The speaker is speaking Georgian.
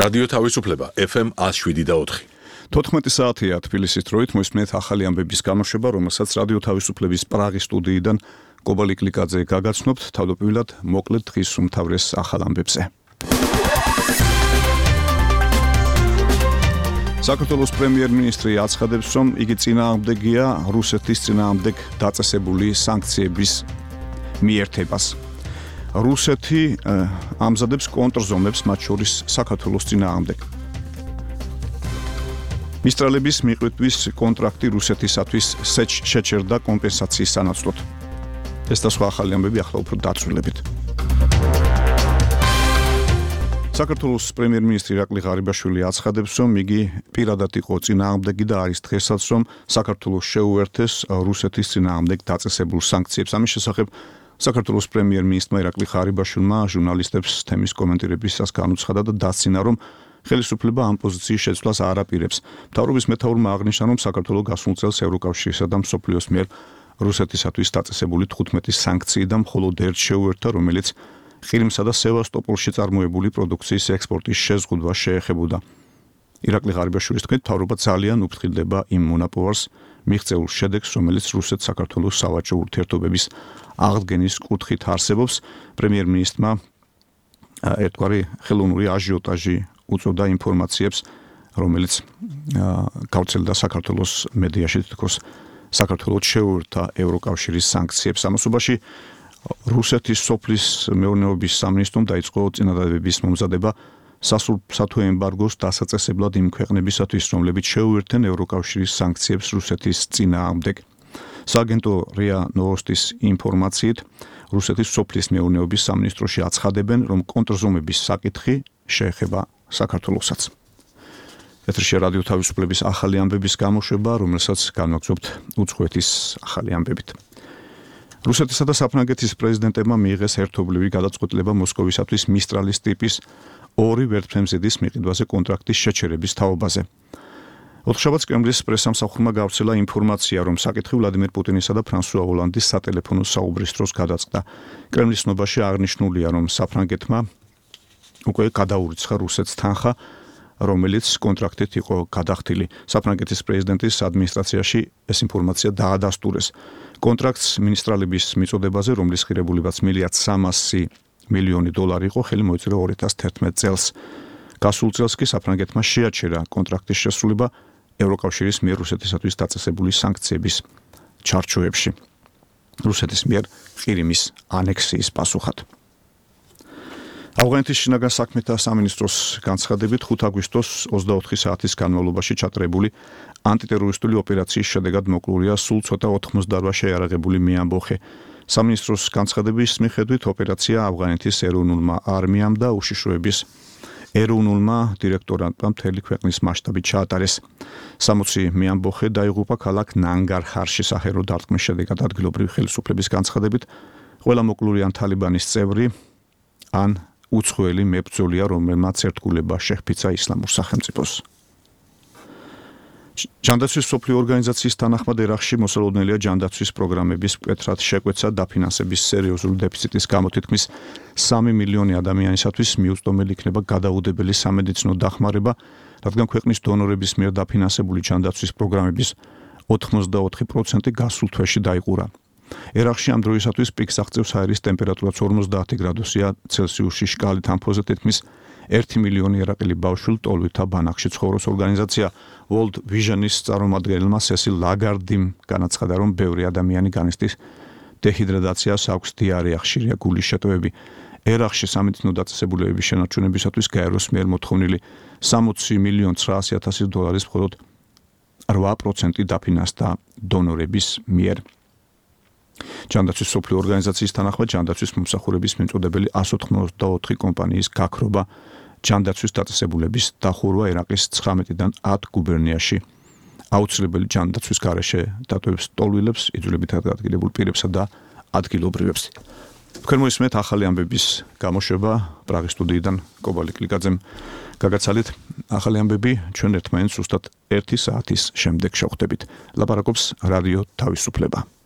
რადიო თავისუფლება FM 107.4. 14 საათია თბილისის დროით მოისმენთ ახალი ამბების გამოშვება, რომელსაც რადიო თავისუფლების პრაღის სტუდიიდან კობალი კლიკაძე გაგაცნობთ, თავდაპირველად მოკლედ დღის უმთავრეს ახალ ამბებზე. საქართველოს პრემიერ-მინისტრი აცხადებს, რომ იგი წინააღმდეგია რუსეთის წინააღმდეგ დაწესებული სანქციების მიერთებას. რუსეთი ამზადებს კონტრზომებს, მათ შორის საქართველოს წინააღმდეგ. მისტრალების მიყრიტვის კონტრაქტი რუსეთისათვის შეჩერდა კომპენსაციის სანაცვლოდ. ეს და სხვა ახალი ამბები ახლა უფრო დაწვრილებით. საქართველოს პრემიერ-მინისტრი ირაკლი ღარიბაშვილი აცხადებს, რომ იგი პირადად იყო წინააღმდეგი და არის დღესაც, რომ საქართველოს შეუერთეს რუსეთის წინააღმდეგ დაწესებულ სანქციებს. ამის შესახებ საქართველოს პრემიერ-მინისტრმა ირაკლი ღარიბაშვილმა ჟურნალისტებს თემის კომენტირებისას განუცხადა და დასცინა, რომ ხელისუფლება ამ პოზიციის შეცვლას არ აპირებს. მთავრობის მეთაურმა აღნიშნა, რომ საქართველოს გასულ წელს ევროკავშირისა და მსოფლიოს მიერ რუსეთისათვის დაწესებული 15 სანქციიდან მხოლოდ ერთ შეუერთდა, რომელიც ყირიმსა და სევასტოპოლში წარმოებული პროდუქციის ექსპორტის შეზღუდვას შეეხებოდა. ირაკლი ღარიბაშვილის თქმით, მთავრობა ძალიან უფრთხილდება იმ მონაპოვარს მიღწეულ შედეგს, რომელიც რუსეთ-საქართველოს სავაჭრო ურთიერთობების აღდგენის კუთხით არსებობს. პრემიერ-მინისტრმა ერთგვარი ხელოვნური აჟიოტაჟი უწოდა ინფორმაციებს, რომელიც გავრცელდა საქართველოს მედიაში, თითქოს საქართველოს შეუერთდა ევროკავშირის სანქციებს. ამასობაში რუსეთის სოფლის მეურნეობის სამინისტრომ დაიწყო წინადადებების მომზადება სასულფსათო ემბარგოს დასაწესებლად იმ ქვეყნებისათვის, რომლებიც შეუერთდნენ ევროკავშირის სანქციებს რუსეთის წინააღმდეგ. სააგენტო რია ნოვოსტის ინფორმაციით, რუსეთის სოფლის მეურნეობის სამინისტროში აცხადებენ, რომ კონტრზომების საკითხი შეეხება საქართველოსაც. ეთერში რადიო თავისუფლების ახალი ამბების გამოშვება, რომელსაც განვაგრძობთ უცხოეთის ახალი ამბებით. რუსეთისა და საფრანგეთის პრეზიდენტებმა მიიღეს ერთობლივი გადაწყვეტილება მოსკოვისათვის მისტრალის ტიპის 2 ვერტმფრენზედის მიყიდვაზე კონტრაქტის შეჩერების თაობაზე. ოთხშაბათს კრემლის პრესამსახურმა გავრცელა ინფორმაცია, რომ საკითხი ვლადიმერ პუტინისა და ფრანსუა ოლანდის სატელეფონო საუბრის დროს გადაწყდა. კრემლის ცნობაში აღნიშნულია, რომ საფრანგეთმა უკვე გადაურიცხა რუსეთს თანხა, რომელიც კონტრაქტით იყო გადახდილი. საფრანგეთის პრეზიდენტის ადმინისტრაციაში ეს ინფორმაცია დაადასტურეს. კონტრაქტს მინისტრალების მიწოდებაზე, რომლის ღირებულებაც $1.3 მილიონი იყო, ხელი მოეწერა 2011 წელს. გასულ წელს კი საფრანგეთმა შეაჩერა კონტრაქტის შესრულება ევროკავშირის მიერ რუსეთისათვის დაწესებული სანქციების ჩარჩოებში. რუსეთის მიერ ყირიმის ანექსიის პასუხად. ავღანეთის შინაგან საქმეთა სამინისტროს განცხადებით 5 აგვისტოს 24 საათის განმავლობაში ჩატარებული ანტიტერორისტული ოპერაციის შედეგად მოკლულია სულ ცოტა 88 შეიარაღებული მეამბოხე. სამინისტროს განცხადების მიხედვით ოპერაცია ავღანეთის ეროვნულმა არმიამ და უშიშროების ეროვნულმა დირექტორატმა მთელი ქვეყნის მასშტაბით ჩაატარეს. 60 მეამბოხე დაიღუპა ქალაქ ნანგარჰარში საჰერო დარტყმის შედეგად. ადგილობრივი ხელისუფლების განცხადებით, ყველა მოკლული ან თალიბანის წევრი ან უცხოელი მებრძოლია, რომელმაც ერთგულება შეჰფიცა ისლამურ სახელმწიფოს. ჯანდაცვის მსოფლიო ორგანიზაციის თანახმად ერაყში მოსალოდნელია ჯანდაცვის პროგრამების მკვეთრად შეკვეცა დაფინანსების სერიოზული დეფიციტის გამო. თითქმის 3 მილიონი ადამიანისათვის მიუწვდომელი იქნება გადაუდებელი სამედიცინო დახმარება, რადგან ქვეყნის დონორების მიერ დაფინანსებული ჯანდაცვის პროგრამების 84% გასულ თვეში დაიყურა. ერაყში ამ დროისათვის პიკს აღწევს ჰაერის ტემპერატურაც 50 გრადუსია ცელსიუსში შკალით ამფოზე. თითქმის 1 მილიონი ერაყელი ბავშვი ტოლვითა ბანაკში ცხოვრობს. ორგანიზაცია World Vision-ის წარმომადგენელმა სესილ ლაგარდიმ განაცხადა, რომ ბევრი ადამიანი განიცდის დეჰიდრატაციას, აქვს დიარეა, ხშირია გულის შეტევები. ერაყში სამედიცინო დაწესებულებების შენარჩუნებისათვის გაეროს მიერ მოთხოვნილი $60,900,000 მხოლოდ 8% დაფინანსდა დონორების მიერ. ჯანდაცვის მსოფლიო ორგანიზაციის თანახმად ჯანდაცვის მომსახურების მიმწოდებელი 184 კომპანიის გაქრობა ჯანდაცვის დაწესებულების დახურვა ერაყის 19-დან 10 გუბერნიაში აუცილებელი ჯანდაცვის გარეშე დატოვებს ტოლვილებს, იძულებითად ადგილებულ პირებსა და ადგილობრივებს. თქვენ მოისმენთ ახალი ამბების გამოშვება პრაღის სტუდიიდან კობალი კლიკაძემ გაგაცალით. ახალი ამბები ჩვენ ერთმანეთს ზუსტად 1 საათის შემდეგ შევხვდებით. ლაპარაკობს რადიო თავისუფლება.